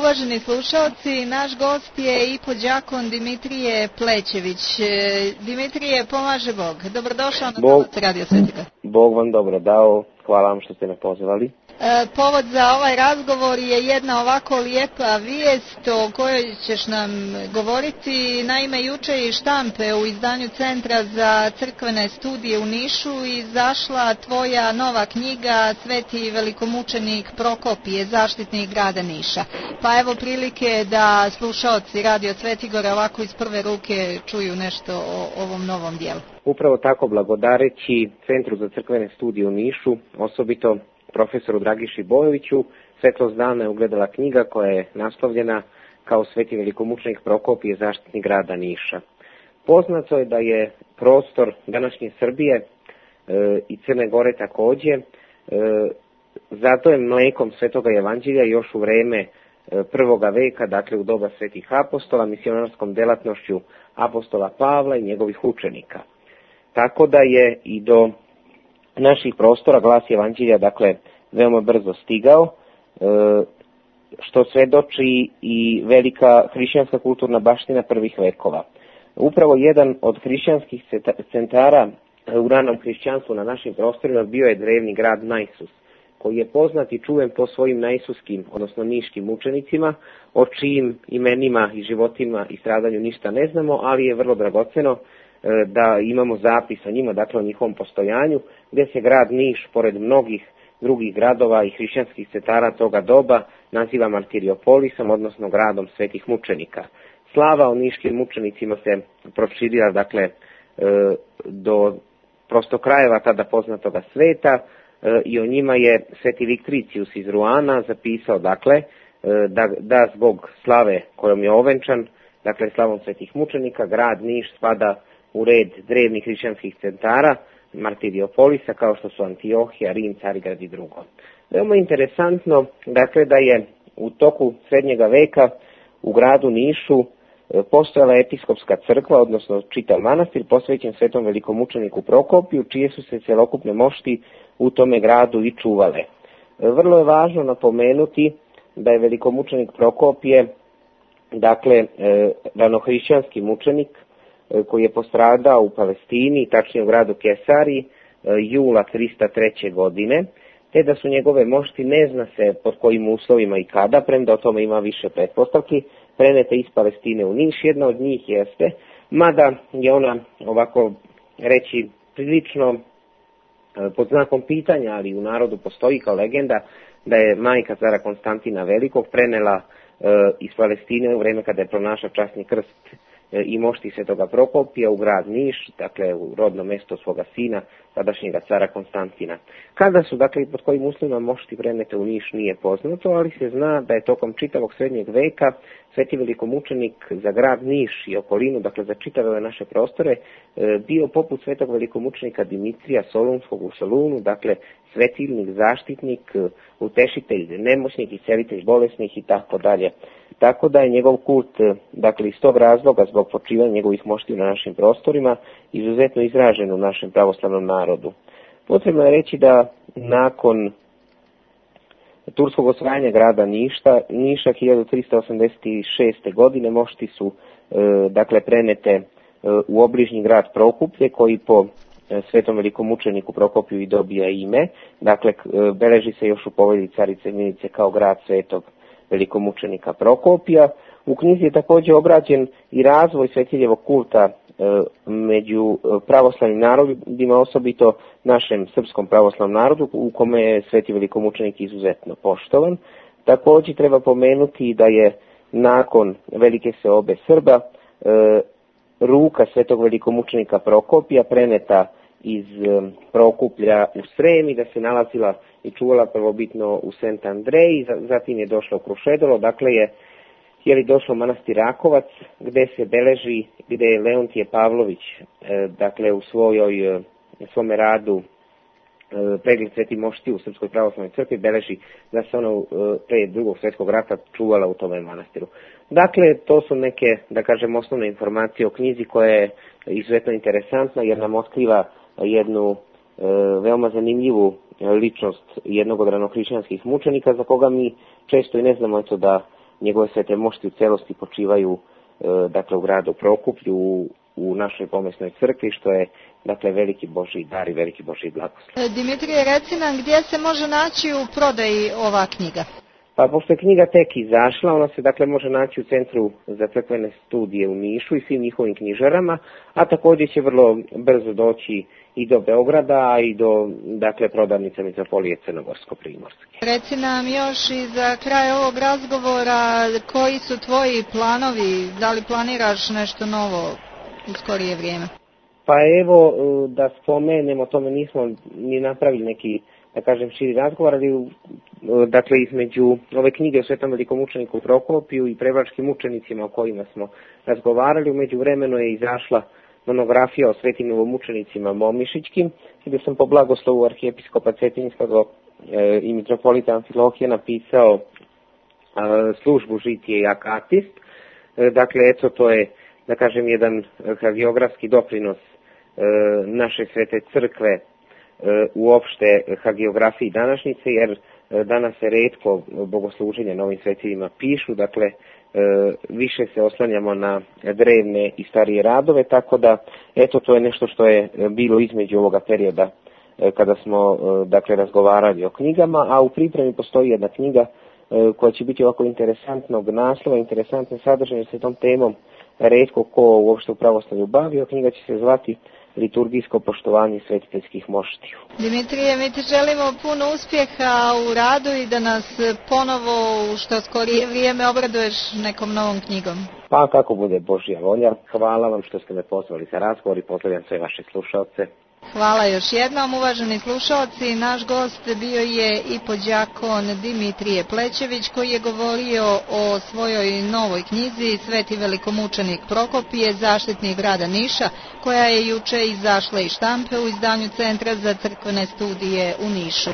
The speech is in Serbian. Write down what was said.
uvaženi slušalci, naš gost je i đakon Dimitrije Plećević. Dimitrije, pomaže Bog. Dobrodošao na Novac Radio Svetiga. Bog vam dobro dao, hvala vam što ste me pozvali. Povod za ovaj razgovor je jedna ovako lijepa vijest o kojoj ćeš nam govoriti. Naime, juče je iz štampe u izdanju Centra za crkvene studije u Nišu izašla tvoja nova knjiga Sveti velikomučenik Prokopije, zaštitnik grada Niša. Pa evo prilike da slušaoci Radio Svetigora ovako iz prve ruke čuju nešto o ovom novom dijelu. Upravo tako, blagodareći Centru za crkvene studije u Nišu, osobito profesoru Dragiši Bojoviću, svetlost dana je ugledala knjiga koja je naslovljena kao Sveti velikomučenik Prokopije, zaštitnik grada Niša. Poznato je da je prostor današnje Srbije i Crne Gore također zato je mlekom Svetoga Evanđelja još u vreme prvoga veka, dakle u doba svetih apostola, misionarskom delatnošću apostola Pavla i njegovih učenika. Tako da je i do naših prostora glas Evanđelja, dakle, veoma brzo stigao, što svedoči i velika hrišćanska kulturna baština prvih vekova. Upravo jedan od hrišćanskih centara u ranom hrišćanstvu na našim prostorima bio je drevni grad Najsus, koji je poznat i čuven po svojim najsuskim, odnosno niškim mučenicima, o čijim imenima i životima i stradanju ništa ne znamo, ali je vrlo dragoceno da imamo zapis o njima, dakle o njihovom postojanju, gdje se grad Niš, pored mnogih drugih gradova i hrišćanskih centara toga doba, naziva Martiriopolisom, odnosno gradom svetih mučenika. Slava o niškim mučenicima se proširila, dakle, do prosto krajeva tada poznatoga sveta i o njima je sveti Viktricius iz Ruana zapisao, dakle, da zbog slave kojom je ovenčan, dakle slavom svetih mučenika, grad Niš spada u red drevnih hrišćanskih centara Martiriopolisa, kao što su Antiohija, Rim, Carigrad i drugo. Veoma interesantno, dakle, da je u toku srednjega veka u gradu Nišu postojala episkopska crkva, odnosno čitav manastir posvećen svetom velikomučeniku Prokopiju, čije su se celokupne mošti u tome gradu i čuvale. Vrlo je važno napomenuti da je velikomučenik Prokopije, dakle, ranohrišćanski mučenik koji je postradao u Palestini, tačnije u gradu Kesariji, jula 303. godine, te da su njegove mošti, ne zna se pod kojim uslovima i kada, premda o tome ima više pretpostavki, prenete iz Palestine u Niš. Jedna od njih jeste, mada je ona, ovako reći, prilično pod znakom pitanja, ali u narodu postoji kao legenda, da je majka cara Konstantina Velikog prenela iz Palestine u vreme kada je pronašao časni krst i mošti svetoga Prokopija u grad Niš, dakle u rodno mesto svoga sina, tadašnjega cara Konstantina. Kada su, dakle, i pod kojim uslovima mošti prenete u Niš nije poznato, ali se zna da je tokom čitavog srednjeg veka sveti velikomučenik za grad Niš i okolinu, dakle za čitave naše prostore, bio poput svetog velikomučenika Dimitrija Solunskog u Solunu, dakle svetilnik, zaštitnik, utešitelj nemoćnih i celitelj bolesnih i tako dalje. Tako da je njegov kult, dakle iz tog razloga, zbog počivanja njegovih mošti na našim prostorima, izuzetno izražen u našem pravoslavnom narodu. Potrebno je reći da nakon turskog osvajanja grada Niša 1386. godine mošti su, dakle, prenete u obližnji grad Prokuplje, koji po svetom velikomučeniku Prokopiju i dobija ime. Dakle, beleži se još u povelji carice Milice kao grad svetog velikomučenika Prokopija. U knjizi je također obrađen i razvoj svetiljevog kulta među pravoslavnim narodima, osobito našem srpskom pravoslavnom narodu, u kome je sveti velikomučenik izuzetno poštovan. Također treba pomenuti da je nakon velike seobe Srba ruka svetog velikomučenika Prokopija preneta iz Prokuplja u Srem i da se nalazila i čuvala prvobitno u Sent Andreji, zatim je došla u Krušedolo, dakle je došlo u manastir Rakovac, gde se beleži, gde je Leontije Pavlović, dakle u svome radu pregled sveti mošti u Srpskoj pravoslavnoj crkvi, beleži da se ona pre drugog svjetskog rata čuvala u tome manastiru. Dakle, to su neke, da kažem, osnovne informacije o knjizi koja je izuzetno interesantna jer nam otkriva jednu veoma zanimljivu ličnost jednog od ranohrišćanskih mučenika za koga mi često i ne znamo da njegove svete mošti u celosti počivaju dakle u gradu Prokuplju, u našoj pomesnoj crkvi, što je dakle veliki Božji dar i veliki Božji blagoslov. Dimitrije, reci nam gdje se može naći u prodaji ova knjiga? Pa pošto je knjiga tek izašla, ona se dakle može naći u Centru za crkvene studije u Nišu i svim njihovim knjižarama, a također će vrlo brzo doći i do Beograda i do dakle prodavnice Mitropolije Crnogorsko-Primorske. Reci nam još i za kraj ovog razgovora koji su tvoji planovi, da li planiraš nešto novo u skorije vrijeme? Pa evo da spomenemo, o tome nismo ni napravili neki, da kažem, širi razgovor, ali dakle između ove knjige o Svetom velikomučeniku Prokopiju i prevačkim mučenicima o kojima smo razgovarali, u međuvremenu je izašla monografija o svetim novomučenicima Momišićkim, gdje sam po blagoslovu arhijepiskopa Cetinjskog i mitropolita Amfilohija napisao službu Žitije i Akatist. Dakle, eto, to je, da kažem, jedan hagiografski doprinos naše svete crkve uopšte hagiografiji današnjice, jer danas se retko bogosluženja na ovim svetima pišu, dakle više se oslanjamo na drevne i starije radove, tako da eto to je nešto što je bilo između ovoga perioda kada smo dakle razgovarali o knjigama, a u pripremi postoji jedna knjiga koja će biti ovako interesantnog naslova, interesantne sadržaje, jer se tom temom retko ko uopšte u pravoslavlju bavio. Knjiga će se zvati Liturgijsko poštovanje svetiteljskih moštiju. Dimitrije, mi ti želimo puno uspjeha u radu i da nas ponovo u što skorije vrijeme obraduješ nekom novom knjigom. Pa kako bude Božja volja. Hvala vam što ste me pozvali za razgovor i pozdravljam sve vaše slušalce. Hvala još jednom, uvaženi slušalci. Naš gost bio je i podjakon Dimitrije Plećević, koji je govorio o svojoj novoj knjizi Sveti velikomučenik Prokopije, zaštitnik grada Niša, koja je juče izašla iz štampe u izdanju Centra za crkvene studije u Nišu.